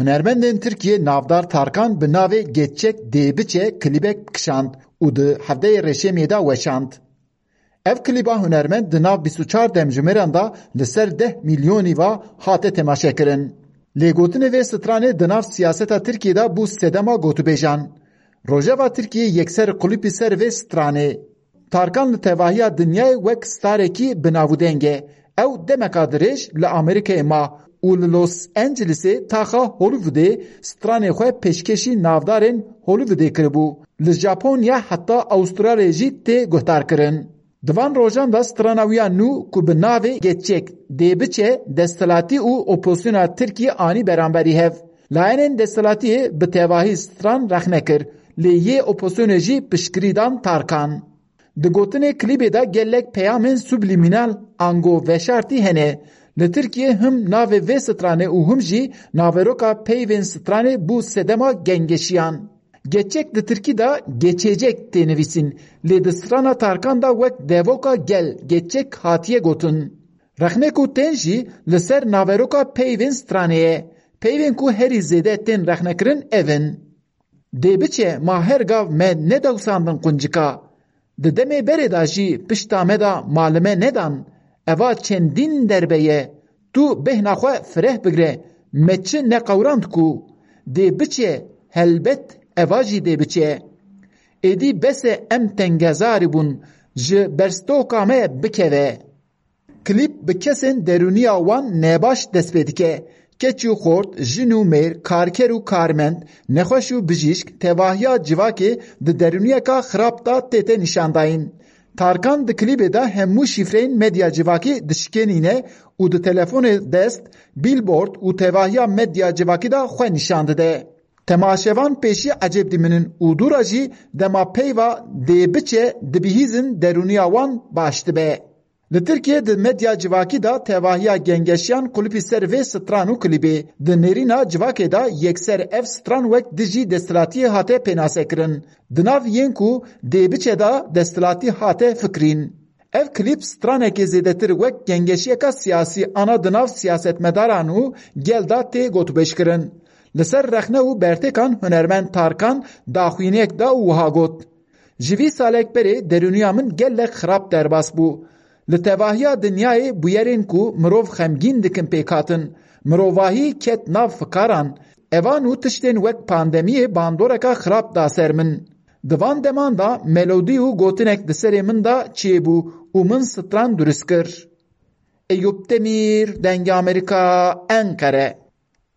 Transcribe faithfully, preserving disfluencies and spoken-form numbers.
Hunermendên Tirkiyê navdar Tarkan bi navê Geçecek Dê Biçe klîbek kişand û di hevdeyê Reşemiyê de weşand. Ev klîba hunermend di nav bîst û çar demjimêran de li ser deh milyonî ve hate temaşekirin. Lêgotinê vê stranê di nav siyaseta Tirkiyê de bû sedema gotûbêjan. Rojeva Tirkiyê yekser qulipî ser vê stranê. Tarkan li tevahiya dinyayê wek starekî bi nav û deng e. Ew demeka dirêj li Amerîkayê ma û li Los Angelesê taxa Hollywoodê stranê xwe pêşkêşî navdarên Hollywoodê kiribû. Li Japonya heta Awistralyayê jî tê guhdarkirin. Di van rojan de strana wî ya nû ku bi navê Geçecek Dê Biçe desthilatî û opozisyona Tirkî anî beramberî hev. Layenên desthilatiyê bi tevahî stran rexne kir, lê yê opozisyonê jî piştgirî dan Tarkan. Di gotinê klîbê de gelek peyamên sublîmînal ango veşartî hene. Li Tirkiyê him navê vê stranê û him jî naveroka peyvên stranê bû sedema gengeşiyan. Geçecek di tirkî de geçecek tê nivîsîn, lê di strana Tarkan de wek devoka gel geçecek hatiye gotin. Rexnê ku tên jî li ser naveroka peyvên stranê ye. Peyvên ku herî zêde tên rexnekirin ev in. Dê biçe ma her gav me nedewsandin quncika. Di demê berê de jî pişta me de malime nedan. Eva çendîn derbe ye. Tu bêhna xwe fireh bigire. Me çi neqewrand ku. Dê biçe, helbet eva jî dê biçe. Êdî bes e em tengezarî bûn. Ji berstoka me bikeve. Klîp bi kesên derûniya wan nebaş dest pê dike. Keç û xort, jin û mêr, karker û karmend, nexweş û bijîşk tevahiya civakê di derûniyeka xirab de tête nîşandayîn. Tarkan di klîbê de hemû şîfreyên medya civakî dişikênîne û di telefonê dest, bîlbord û tevahiya medya civakî de xwe nîşan dide. Temaşevan pêşî ecêb dimînin û dûra jî dema peyva dê biçe dibihîzin derûniya wan baş dibe. Li Tirkiyê di medya civakî de tevahiya gengeşiyan qulipî ser vê stran û klîbê. Di nêrîna civakê de yekser ev stran wek dijî desthilatiyê hate pênasekirin. Di nav yên ku dê biçe de desthilatî hate fikirîn. Ev klîp stranekê zêdetir wek gengeşiyeka siyasî ana di nav siyasetmedaran û gel de tê gotûbêjkirin. Li ser rexne û bertêkan hunermend Tarkan daxuyaniyek da û wiha got, Ji vî salek berê derûniya min gelek xirab derbas bû. Li tevahiya dinyayê bûyerên ku mirov xemgîn dikin pêk hatin. Mirovahî ket nav fikaran. Evan û tiştên wek pandemiyê bandoreka xirab da ser min. Di van deman de melodî û gotinek di serê min de çêbû û min stran durist kir. Eyûp Demîr, Dengê Amerîka, Enqere.